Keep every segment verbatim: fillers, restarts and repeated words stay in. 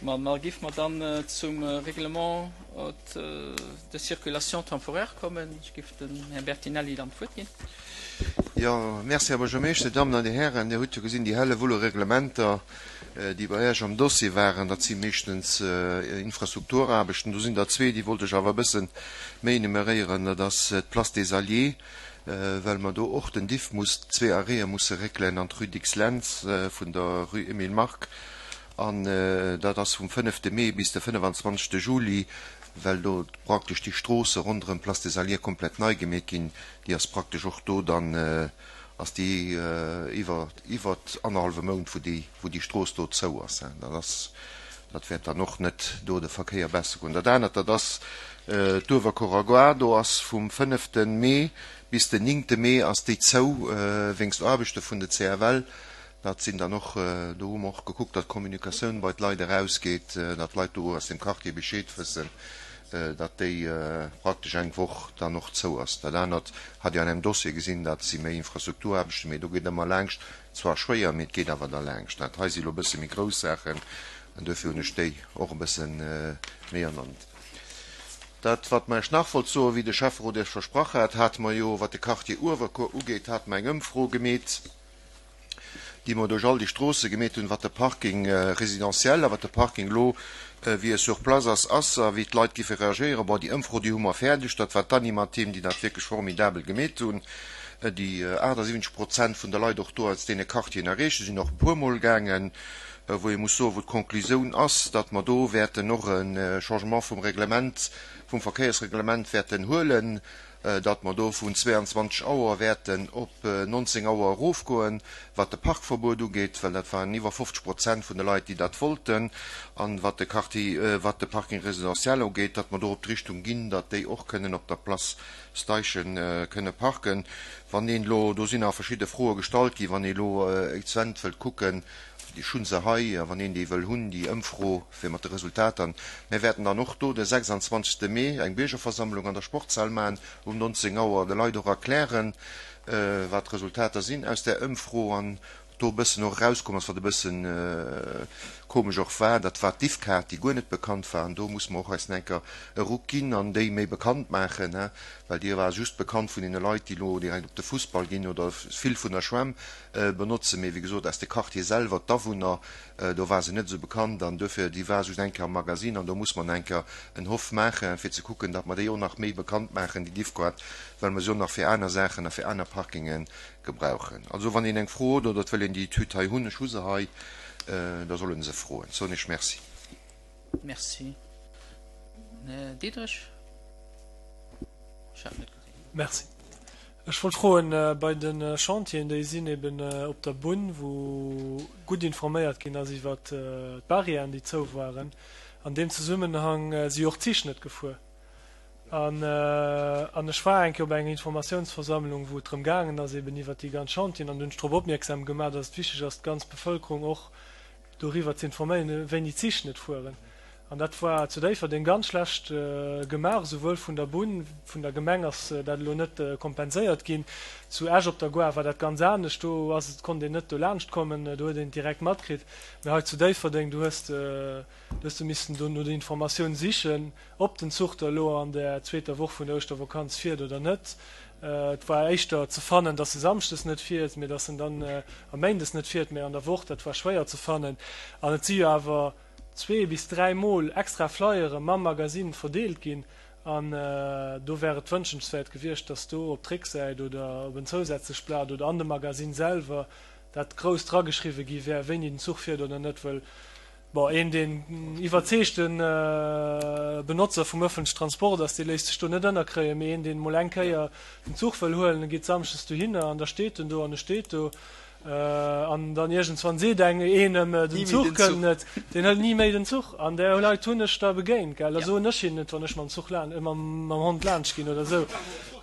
Ma ma giff mer dann zum Règlement de circulation temporaire kommen. Ech giff dem Här Bertinelli dann d'Wuert ginn. Jo, merci, Här Buergermeeschter, Dir Dammen an Dir Hären. Dir hutt jo gesinn, déi Hellewull u Reglementer, déi bei Iech am Dossier waren, dat si meeschtens Infrastrukturaarbechten. Do sinn der zwee, déi wollt ech awer e bësse méi enumeréieren. Dat ass d'Place des Alliés, well mer do och den Diff muss, zwee Arrêtë musse réckelen an d'Rue Dicks-Lentz vun der Rue Emile Mark. An dat ass vum fënnefte Mee bis de fënnefan-zwanzegste Juli, well do praktesch déi Stroosse ronderëm d'Place des Alliés komplett nei gemeet ginn. Déi ass praktesch och do dann, ass déi iwwer, iwwer annerhallwe Mount, wou déi, wou déi Strooss do zou ass. Dat ass, dat wäert dann och net do de Verkéier besser goen. Dat anert, dat ass d'Uewerkuerer Gare. Do ass vum fënnefte Mee bis den néngte Mee ass déi zou wéinst Aarbechte vun de C F L. Dat sinn dann och, do hu mer och gekuckt, datt d'Kommunikatioun bei d'Leit erausgeet, datt d'Leit do aus dem Quartier Bescheed wëssen, datt déi praktesch eng Woch dann och zou ass. Dat anert hat Dir an engem Dossier gesinn, dat si méi Infrastrukturaarbechten, mee do geet ëmmer laangscht, zwar schwéier, mee et geet awer da laangscht. Dat hei si lo e bësse méi grouss Saachen an duerfir hunn ech déi och e bësse méi ernannt. Dat, wat mer Iech nach wollt soen, wéi de Schäfferot Iech versprach hat, hate mer jo, wat de Quartier Uewerkuer ugeet, hate mer eng Ëmfro gemeet, déi mer duerch all déi Stroosse gemeet hunn, wat de Parking résidentiel a wat de Parking elo wéi e sur place ass, ass a wéi d'Leit giffe reagéieren. Bon, déi Ëmfro, déi hu mer fäerdeg. Dat war d'Animateam, déi dat wierklech formidabel gemeet hunn, déi achtasiwwenzeg Prozent vun de Leit och do aus deene Quartieren erreecht. Si sinn och e puermol gaangen, wou ee muss soen, wou d'Konklusioun ass, datt mer do wäerten och e Changement vum Reglement, vum Verkéiersreglement wäerten huelen, datt mer do vun zwéianzwanzeg Auer wäerten op nonzéng Auer erofgoen, wat de Parkverbuet ugeet, well dat waren iwwer fofzeg Prozent vun de Leit, déi dat wollten, an wat de Quartier, wat de Parking résidentiel ugeet, datt mer do op d'Richtung ginn, datt déi och kënnen op der Place Steichen kënne parken. Wann een elo, do sinn nach verschidde Froe gestallt ginn, wann ee elo exzent wëllt kucken, ech hu se hei, a wann een déi wëll hunn, déi Ëmfro fir mat de Resultater. Mir wäerten dann och do de sechsanzwanzegste Mee eng Biergerversammlung an der Sportshal maachen um nonzéng Auer, de Leit och erklären, wat d'Resultater sinn aus där Ëmfro an do e bëssen och erauskomm ass, wat e bëssen komesch och war, dat war d'Diffkaart, déi guer net bekannt war. An do musse mer och eis nach eng Kéier e Ruck ginn an déi méi bekannt maachen, well déi war just bekannt vun deene Leit, déi elo direkt op de Fussball ginn oder vill vun der Schwämm benotzen. Mee wéi gesot, aus de Quartiere selwer, d'Awunner, do war se net esou bekannt an duerfir, déi war just eng Kéier am Magasinn an do muss mer nach eng Kéier en Hoff maachen, fir ze kucken, datt mer déi och nach méi bekannt maachen, déi Diffkaart, well mer se och nach fir aner Saachen a fir aner Parkinge gebrauchen. Also wann een eng Fro huet oder et wëll een déi Etüd hei hunn, ech hu se hei, da soll en se froen. Soen ech Merci. Merci. Här Diderich? Ech hat net gesinn. Merci. Ech wollt froen, bei de Chantieren, déi sinn eben op der Bunn, wou gutt informéiert ginn ass iwwer d'Barrièren, déi zou waren. An deem Zesummenhang si och d'Zich net gefuer. An an ech war eng Kéier op enger Informatiounsversammlung, wou et drëm gaangen ass eben iwwer déi ganz Chantieren, an hunn ech drop opmierksam gemaach, datt et wichteg ass, d'ganz Bevëlkerung och doriwwer ze informéieren, wéini d'Zich net fueren. An dat war zu Déifferdeng ganz schlecht gemaach, esouwuel vun der Bunn, vun der Gemeng ass dat elo net kompenséiert ginn. Zu Esch op der Gare war dat ganz anescht, do ass et, konnt een net dolaanscht kommen, do huet een et direkt matkritt. Mee hei zu Déifferdeng, do hues de, do hues de missen do no der Informatioun sichen, ob den Zuch da elo an der zweeter Woch vun der Ouschtervakanz fiert oder net. Et war éischter ze fannen, dass e samschdes net fiert, mee dass en dann a méindes net fiert, mee an der Woch, dat war schwéier ze fannen. An et si jo awer zwee bis dräi Mol extra Flyere mam Magasinn verdeelt ginn an do wär et wënschenswäert gewiescht, dass do op d'Récksäit oder op en zousätzlecht Blat oder an dem Magasinn selwer dat grouss drageschriwwe gi wär, wéini den Zuch fiert oder net, well bon, een deen iwwerzeegte Benotzer vum ëffentlechen Transport ass, dee léisst sech do net ënnerkréien, mee een deen emol eng Kéier den Zuch wëll huelen, geet samschdes dohinner an da steet en do an e steet do an dann iergendswann seet eng een em, den Zuch kënnt net, deen hëlt ni méi den Zuch an där Leit hunn ech da begéint, gell, da soen ech hinnen et, wann ech mam Zuch laan, mam Hond laanscht ginn oder esou,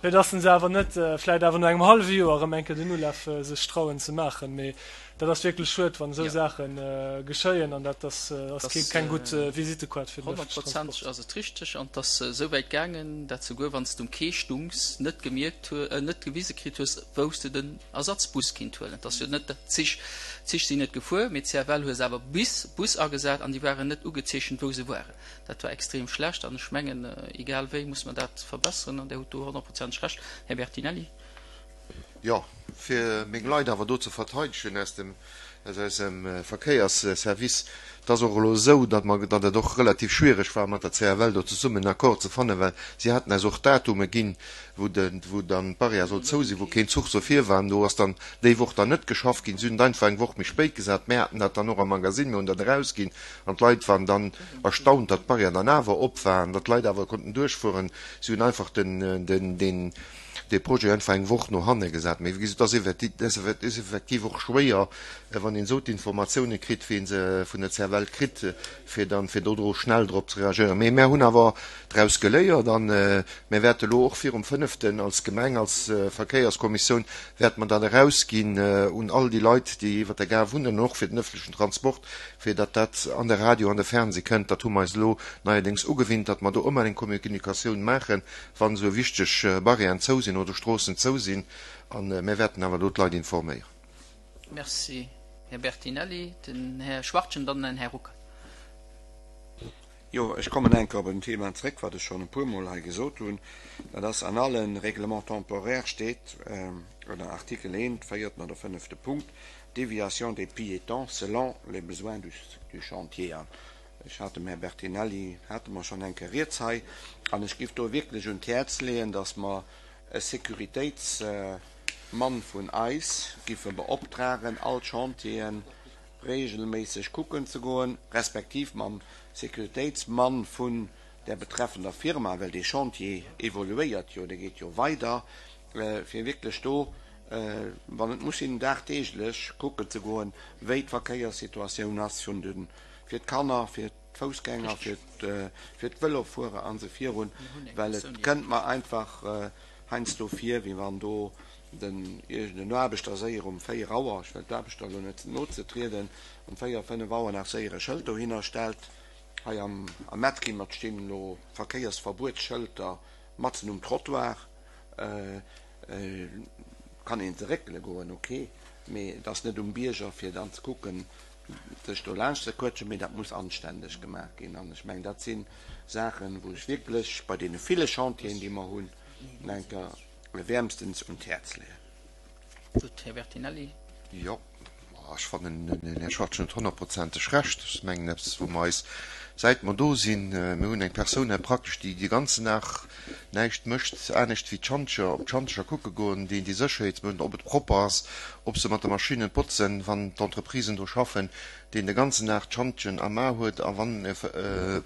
fir dass se awer net vläit awer no engem hallwe Joer erëm eng Kéier den Ulaf sech trauen ze maachen, mee dat ass wierklech schued, wann esou Saache geschéien an dat ass keng gutt Visitekaart fir den ëffentlechen Transport. Honnertprozenteg ass et richteg an et ass esou wäit gaangen, dat souguer wann s de um Quai stungs, net gemierkt hu, net gewise kritt hues, wou s de den Ersatzbus kinnt huelen. Et ass jo net, d'Zich D'Zich sinn net gefuer, mee d'CFL huet awer Bus, Bus agesat an déi waren net ugezeechent, wou se waren. Dat war extrem schlecht an ech mengen, egal wéi muss mer dat verbesseren an Där hutt do honnertprozenteg Recht, Här Bertinelli. Jo, fir meng Leit awer do ze verteidegen aus dem, aus eisem Verkéiersservice, et ass och elo esou, datt mer, datt et och relativ schwierig war, mat der C F L do zesummen en Accord ze fannen, well si haten eis och Datume ginn, wou de, wou dann d'Barrière soll zou sinn, wou keen Zuch soll virfahren. Do ass dann déi Woch dann net geschafft ginn. Si hunn et einfach eng Woch méi spéit gesat. Mir haten dat dann och am Magazine, mir hunn dat erausginn an d'Leit waren dann erstaunt, datt d'Barrière dann awer op war an datt d'Leit awer konnten duerchfueren. Si hunn einfach den, den, den, dee Projet einfach eng Woch no hanne gesat. Mee wéi gesot, dat ass effektiv och schwéier, wann een esou d'Informatioune kritt, wéi een se vun der C F L kritt, fir dann, fir do dro schnell drop ze reagéieren. Mee mär hunn awer draus geléiert an mär wäerte lo och virum fënneften als Gemeng, als Verkéierskommissioun, wäerte mer dat erausginn un all déi Leit, déi iwwer der Gare wunnen, och fir den ëffentlechen Transport, fir datt dat an de Radio an de Fernseh kënnt. Dat hu mer eis elo neierdéngs ugewinnt, datt mer do ëmmer eng Kommunikatioun maachen, wann esou wichteg Barrièren zou sinn oder Stroossen zou sinn. A mir wäerten awer do d'Leit informéieren. Merci, Här Bertinelli. Den Här Schwachtgen, dann den Här Ruckert. Jo, ech kommen eng Kéier op en Thema zréck, wat ech schonn e puermol hei gesot hunn. Dat ass, an alle Règlements temporaires steet ënner Artikel eent, véierten oder fënnefte Punkt, Déviation des piétons selon les besoins du, du chantier. An ech hat dem Här Bertinelli, hate mer schonn eng Kéier rieds hei, an ech géif do wierklech un d'Häerz leeën, dass mer e Sécuritéitsmann vun eis giffe beoptragen, all d'Chantieren regelméisseg kucken ze goen, respektiv mam Sécuritéitsmann vun der betreffender Firma, well dee Chantier evoluéiert jo, dee geet jo weider, fir wierklech do, wann et muss sinn, dagdeeglech kucken ze goen, wéi d'Verkéierssituatioun ass vun de, fir d'Kanner, fir d'Foussgänger, fir fir d'Vëlofuerer an esou virun, well et kënnt mer einfach heiansdo vir, wéi wann do den iergend en Aarbechter séier um véier Auer, ech wëll d'Aarbechter elo net no ze trieden, um véier, fënnef Auer nach séier e Schëld dohinner stellt. Hei am am Metzkimmert stinn elo Verkéiersverbuetsschëlter matzen um Trottoir. Kann een se réckele goen, ok, mee et ass net um Bierger fir dann ze kucken, sech do laanscht ze quëtschen, mee dat muss anständeg gemaach ginn. An ech mengen, dat si Saachen, wou ech wierklech bei deene ville Chantieren, déi mer hunn, enker wäermstens un d'Häerz leeën. Gutt, Här Bertinelli. Jo, ech fannen, den Här Schwachtgen huet honnertprozenteg Recht. Ech mengen, eppes, wou mer eis, säit mer do sinn, mir hunn eng Persoun hei praktesch, déi de ganzen Dag näischt mécht anescht wéi d'Schantjer, op d'Schantjer kucke goen, déi déi Sécherheetsmëtten, ob et propper ass, ob se mat de Maschinnen botzen, wann d'Entreprisen do schaffen, deen de ganzen Dag d'Schantjen am A huet a wann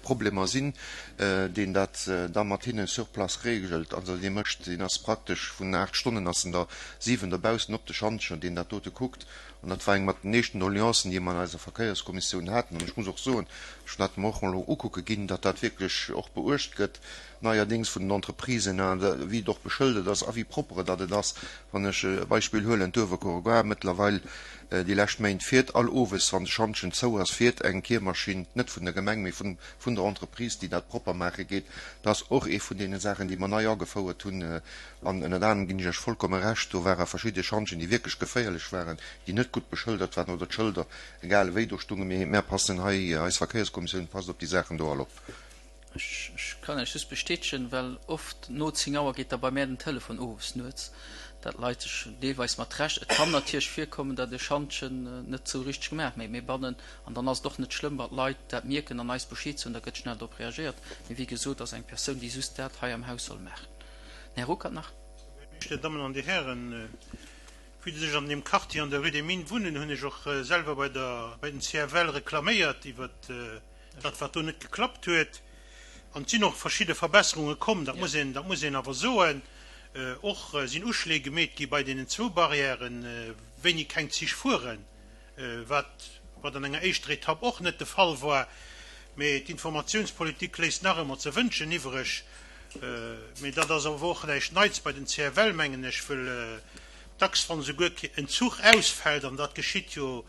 Problemer sinn, deen dat da mat hinne sur place regelt. Also dee mécht, deen ass praktesch vun aacht Stonnen ass en der siwen dobaussen op de Schantjen, deen dat dote kuckt. An dat war eng mat den éischten Doleancen, déi mer an eiser Verkéierskommissioun haten. An ech muss och soen, ech hunn dat mer och elo ukucke ginn, datt dat wierklech och beuecht gëtt, neierdéngs vun den Entreprisen, wéi et och beschëldert ass a wéi propre datt et ass. Wann ech e Beispill huelen, d'Uewerkuerer Gare, mëttlerweil déi lescht Méint fiert all owes, wann de Schantjen zou ass, fiert eng Kiermaschinn, net vun der Gemeng, mee vun vun der Entreprise, déi dat propper maache geet. Dat ass och ee vun deene Saachen, déi mer nei agefouert hunn. An ënnert anerem ginn ech Iech vollkomme Recht, do ware verschidde Schantjen, déi wierklech geféierlech waren, déi net gutt beschëldert waren oder d'Schëlder egal ewéi do stungen. Mee mär passen hei, eis Verkéierskommissioun passt op déi Saachen do all op. Ech kann Iech just bestätegen, well oft no zéng Auer geet da bei mär den Telefon owes nuets, dat Leit sech deelweis mat Recht, et kann natierlech virkommen, datt e Schantjen net sou richteg gemaach, mee mir bannen, an dann ass et och net schlëmm, wann d'Leit dat mierken an eis Bescheed soen, da gëtt schnell drop reagéiert. Mee wéi gesot, ass eng Persoun, déi just dat hei am Haus soll maachen. Den Här Ruckert nach. Dir Dammen an Dir Hären, vue dass ech an deem Quartier an der Rue des Mines wunnen, hunn ech och selwer bei der, bei den C F L reklaméiert iwwert dat, wat do net geklappt huet. An et sinn och verschidde Verbesserunge komm, dat muss een, dat muss een awer soen. Och sinn Uschléi gemeet gi bei deenen zwou Barrièren, wéini keng Zich fueren, wat, wat an enger éischter Etapp och net de Fall war. Mee d'Informatiounspolitik léisst nach ëmmer ze wënschen iwwreg. Mee dat ass awer och näischt Neits bei den C F L, mengen ech, wëll dacks, wann esouguer en Zuch ausfält, an dat geschitt jo,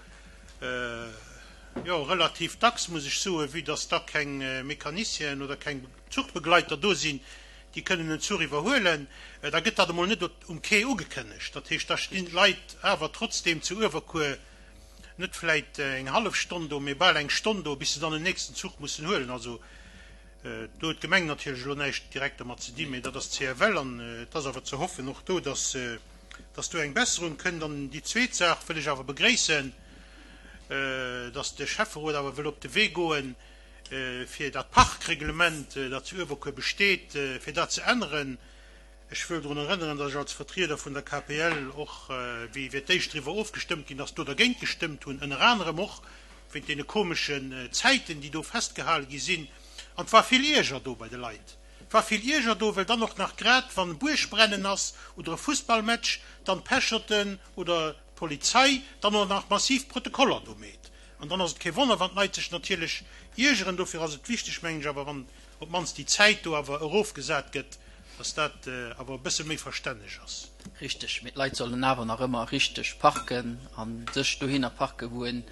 jo, relativ dacks, muss ech soen, vue dass da keng Mecanicienen oder keng Zuchbegleiter do sinn, déi kënnen en Zuch iwwerhuelen, da gëtt dat emol net um Quai ugekënnegt. Dat heescht, da stinn d'Leit awer trotzdeem zu Uewerkuer net vläit eng hallef Stonn do, mee bal eng Stonn do, bis se dann den nächsten Zuch mussen huelen. Also do huet d'Gemeng natierlech elo näischt direkt dermat ze dinn, mee dat ass d'CFL an et ass awer ze hoffen och do, dass dass do eng Besserung kënnt. An déi zweet Saach wëll ech awer begréissen, dass de Schäfferot awer wëll op de Wee goen, fir dat Parkreglement, dat zu Uewerkuer besteet, fir dat ze änneren. Ech wëll drun erënneren, dass ech als Vertrieder vun der KPL och, wéi fir d'éischt driwwer ofgestëmmt ginn ass, do dergéint gestëmmt hunn, ënner anerem och wéint deene komeschen Zäiten, déi do festgehale gi sinn. An et war vill Ierger do bei de Leit. Et war vill Ierger do, well dann och nach grad, wann e Buergbrennen ass oder e Fussballmatch, dann d'Pecherten oder d'Polizei dann och nach massiv Protokoller do meet. An dann ass et kee Wonner, wann d'Leit sech natierlech iergeren. Dofir ass et wichteg, mengen ech awer, wann op d'mannst déi Zäit do awer erofgesat gëtt, dass dat awer e bësse méi verstänneg ass. Richteg, mee d'Leit sollen awer nach ëmmer richteg parken a sech dohinner parken, wou en,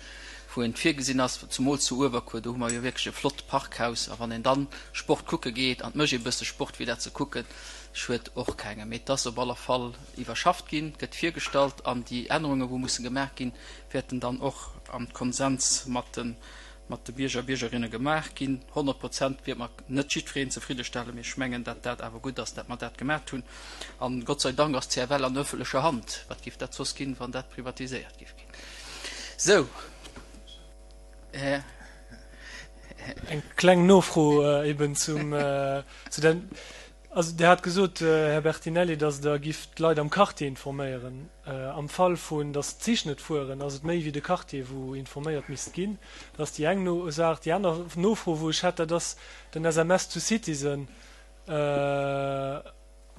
wou en virgesinn ass, zumools zu Uewerkuer, do hu mer jo wierklech e flott Parkhaus. A wann een dann Sport kucke geet, an et mécht ee bësse Sport fir dat ze kucken, schued och kengem. Mee et ass op alle Fall iwwerschafft ginn, gëtt virgestallt an déi Ännerunge wou musse gemaach ginn, wäerten dann och am Konsens mat de mat de Bierger a Biergerinne gemaach ginn. Honnert Prozent wäert mer net jiddwereen zefriddestellen, mee ech mengen, dat dat awer gutt ass, dat mer dat gemaat hunn. An Gott sei Dank ass d'CFL an öffentlecher Hand. Wat géif dat soss ginn, wann dat privatiséiert géif ginn? Sou, Här. Eng kleng Nofro eben zum, zu der, also Dir hat gesot, Här Bertinelli, datt Der gifft d'Leit am Quartier informéieren. Am Fall vun, datt d'Zich net fueren, ass et méi wéi de Quartier, wou informéiert misst ginn. Dat ass déi eng Saach. Déi aner Nofro, wou ech hätt, dat ass den SMS to Citizen.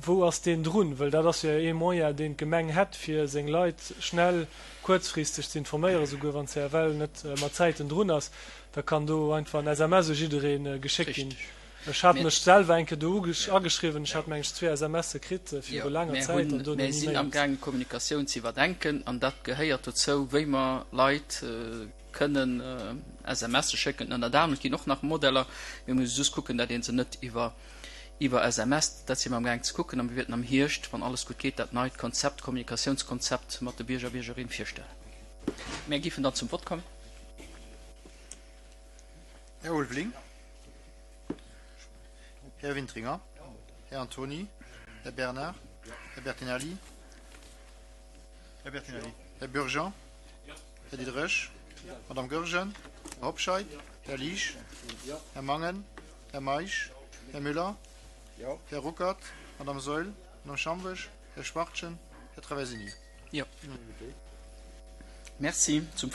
Wou ass deen drun? Well dat ass jo ee Moyen, deen d'Gemeng hätt, fir seng Leit schnell, kuerzfristeg ze informéieren, souguer wann d'CFL net mat Zäiten drun ass. Da kann do einfach en SMS u jidderee geschéckt ginn. Ech hat mech selwer eng Kéier do ageschriwwen, ech hat meng ech zwee SMSe kritt viru laanger Zäit an dono ni méi. Mir sinn amgaangen d'Kommunikatioun ze iwwerdenken an dat gehéiert dozou, wéi mer Leit kënnen SMSe schécken. Ënnert anerem, et ginn och nach Modeller, mir musse just kucken, dat ee se net iwwer iwwer SMS, dat si mer amgaangen ze kucken a mir wäerten am Hierscht, wann alles gutt geet, dat neit Konzept, Kommunikatiounskonzept mat de Bierger a Biergerinne virstellen. Mir géifen dann zum Vott kommen. Här Ulveling. Här Wintringer. Här Antony. Här Bernard. Här Bertinelli. Här Bertinelli. Här Burgeon. Här Diderich. Madame Goergen. Här Hobscheit. Här Liesch. Här Mangen. Här Meisch. Här Müller. Här Ruckert. Madame Saeul. Madame Schambesch. Här Schwachtgen. Här Traversini. Jo. Merci. Zum